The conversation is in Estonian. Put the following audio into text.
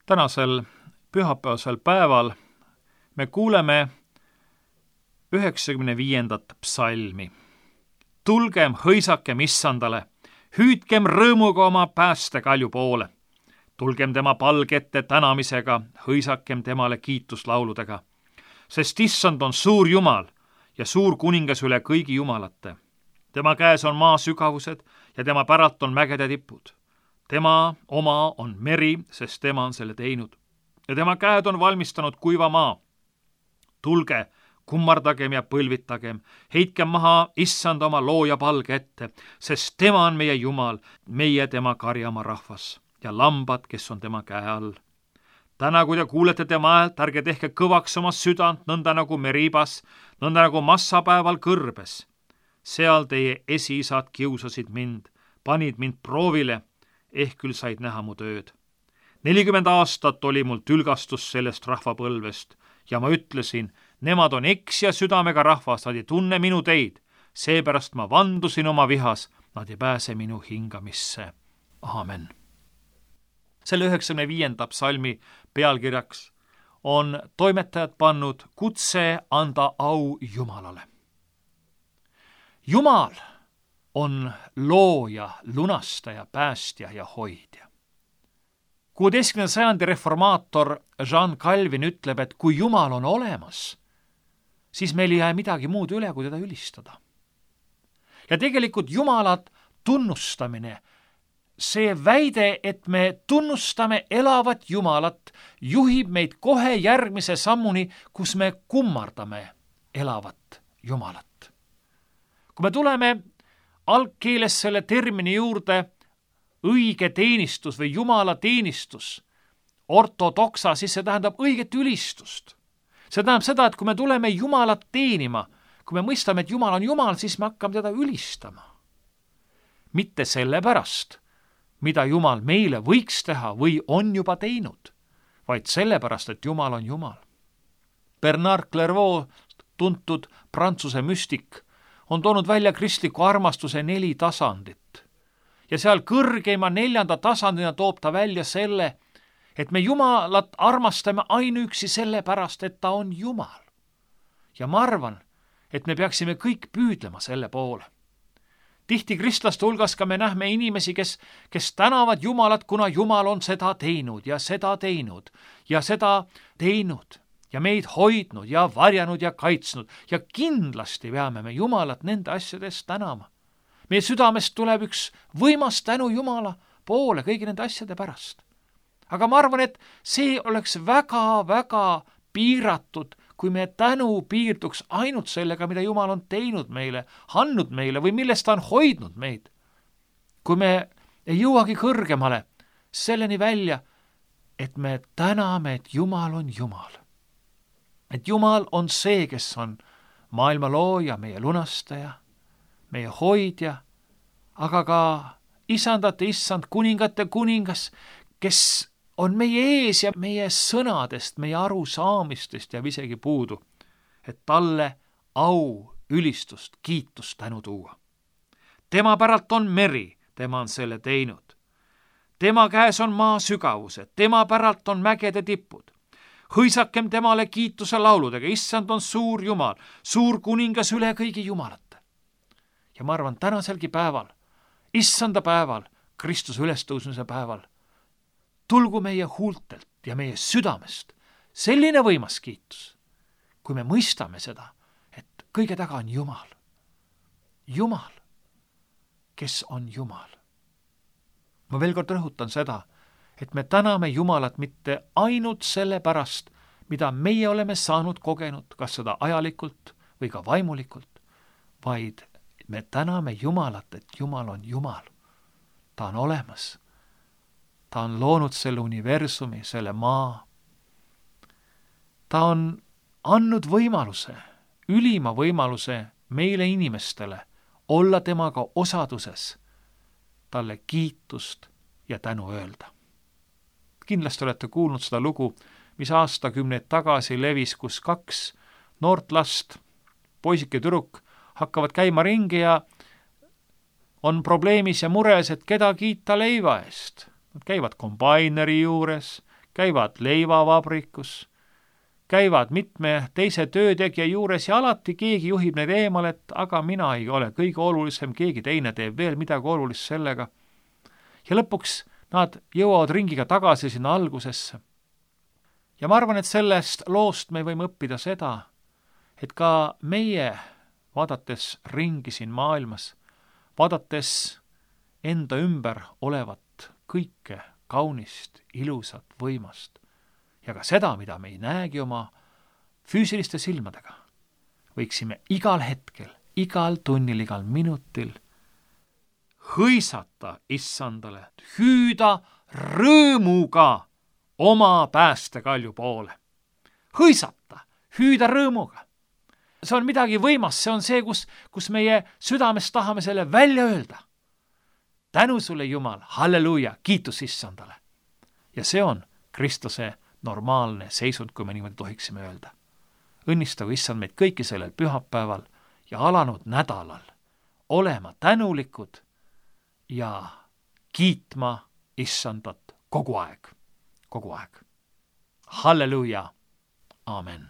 Tänasel pühapäevasel päeval me kuuleme 95. psalmi. Tulgem, hõisakem issandale, hüüdkem rõõmuga oma päästekalju poole. Tulgem tema palgette tänamisega, hõisakem temale kiituslauludega. Sest issand on suur Jumal ja suur kuningas üle kõigi jumalate. Tema käes on maa sügavused ja tema päralt on mägede tipud. Tema oma on meri, sest tema on selle teinud. Ja tema käed on valmistanud kuiva maa. Tulge, kummardagem ja põlvitagem, heitkem maha issand oma looja palge ette, sest tema on meie Jumal, meie tema karjama rahvas ja lambad, kes on tema käe all. Täna, kui te kuulete tema häält, ärge tehke kõvaks oma südant, nõnda nagu Meribas, nõnda nagu massapäeval kõrbes. Seal teie esiisad kiusasid mind, panid mind proovile, ehk küll said näha mu tööd. 40 aastat oli mul tülgastus sellest rahvapõlvest ja ma ütlesin, nemad on eksja südamega rahvas, nad ei tunne minu teid, seepärast ma vandusin oma vihas, nad ei pääse minu hingamisse. Aamen. Selle 95. psalmi pealkirjaks on toimetajad pannud kutse anda au Jumalale. Jumal on looja, lunastaja, päästja ja hoidja. 16. sajandi reformaator Jean Calvin ütleb, et kui Jumal on olemas, siis meil ei jää midagi muud üle, kui teda ülistada. Ja tegelikult Jumalat tunnustamine, see väide, et me tunnustame elavat Jumalat, juhib meid kohe järgmise sammuni, kus me kummardame elavat Jumalat. Kui me tuleme algkeeles selle termini juurde õige teenistus või Jumala teenistus, ortodoksa, siis see tähendab õiget ülistust. See tähendab seda, et kui me tuleme Jumalat teenima, kui me mõistame, et Jumal on Jumal, siis me hakkame teda ülistama. Mitte sellepärast, mida Jumal meile võiks teha või on juba teinud, vaid sellepärast, et Jumal on Jumal. Bernard Clairvaux, tuntud Prantsuse müstik, on toonud välja kristliku armastuse 4 tasandit. Ja seal kõrgeima 4. tasandina toob ta välja selle, et me Jumalat armastame ainuüksi sellepärast, et ta on Jumal. Ja ma arvan, et me peaksime kõik püüdlema selle poole. Tihti kristlaste hulgas ka me nähme inimesi, kes tänavad Jumalat, kuna Jumal on seda teinud ja seda teinud ja seda teinud ja meid hoidnud ja varjanud ja kaitsnud ja kindlasti peame me Jumalat nende asjadest tänama. Meie südamest tuleb üks võimas tänu Jumala poole kõigi nende asjade pärast. Aga ma arvan, et see oleks väga-väga piiratud, kui me tänu piirduks ainult sellega, mida Jumal on teinud meile, andnud meile või millest ta on hoidnud meid. Kui me ei jõuagi kõrgemale selleni välja, et me täname, et Jumal on Jumal. Et Jumal on see, kes on maailma looja, meie lunastaja, meie hoidja, aga ka isandate issand, kuningate kuningas, kes on meie ees ja meie sõnadest, meie arusaamistest jääb isegi puudu, et talle au, ülistust, kiitust tänu tuua. Tema päralt on meri, tema on selle teinud. Tema käes on maa sügavused, tema päralt on mägede tipud. Hõisakem temale kiituse lauludega, issand on suur Jumal, suur kuningas üle kõigi jumalate. Ja ma arvan, tänaselgi päeval, issanda päeval, Kristuse ülestõusmise päeval, tulgu meie huultelt ja meie südamest selline võimas kiitus, kui me mõistame seda, et kõige taga on Jumal. Jumal, kes on Jumal. Ma veel kord rõhutan seda, et me täname Jumalat mitte ainult selle pärast, mida meie oleme saanud kogenud, kas seda ajalikult või ka vaimulikult, vaid me täname Jumalat, et Jumal on Jumal. Ta on olemas. Ta on loonud selle universumi, selle maa. Ta on andnud võimaluse, ülima võimaluse meile inimestele olla temaga osaduses, talle kiitust ja tänu öelda. Kindlasti olete kuulnud seda lugu, mis aastakümneid tagasi levis, kus 2 noort last, poisik ja tüdruk, hakkavad käima ringi ja on probleemis ja mures, et keda kiita leiva eest. Nad käivad kombaineri juures, käivad leivavabrikus, käivad mitme teise töötegija juures ja alati keegi juhib neid eemale, et aga mina ei ole kõige olulisem, keegi teine teeb veel midagi olulist sellega. Ja lõpuks nad jõuavad ringiga tagasi sinna algusesse. Ja ma arvan, et sellest loost me võime õppida seda, et ka meie, vaadates ringi siin maailmas, vaadates enda ümber olevat kõike kaunist, ilusat, võimast ja ka seda, mida me ei näegi oma füüsiliste silmadega, võiksime igal hetkel, igal tunnil, igal minutil hõisata issandale, hüüda rõõmuga oma päästekalju poole. Hõisata, hüüda rõõmuga. See on midagi võimast, see on see, kus meie südames tahame selle välja öelda. Tänu sulle, Jumal, halleluuja, kiitus issandale. Ja see on Kristuse normaalne seisund, kui me niimoodi tohiksime öelda. Õnnistagu issand meid kõiki sellel pühapäeval ja alanud nädalal olema tänulikud ja kiitma issandat kogu aeg. Halleluuja, aamen.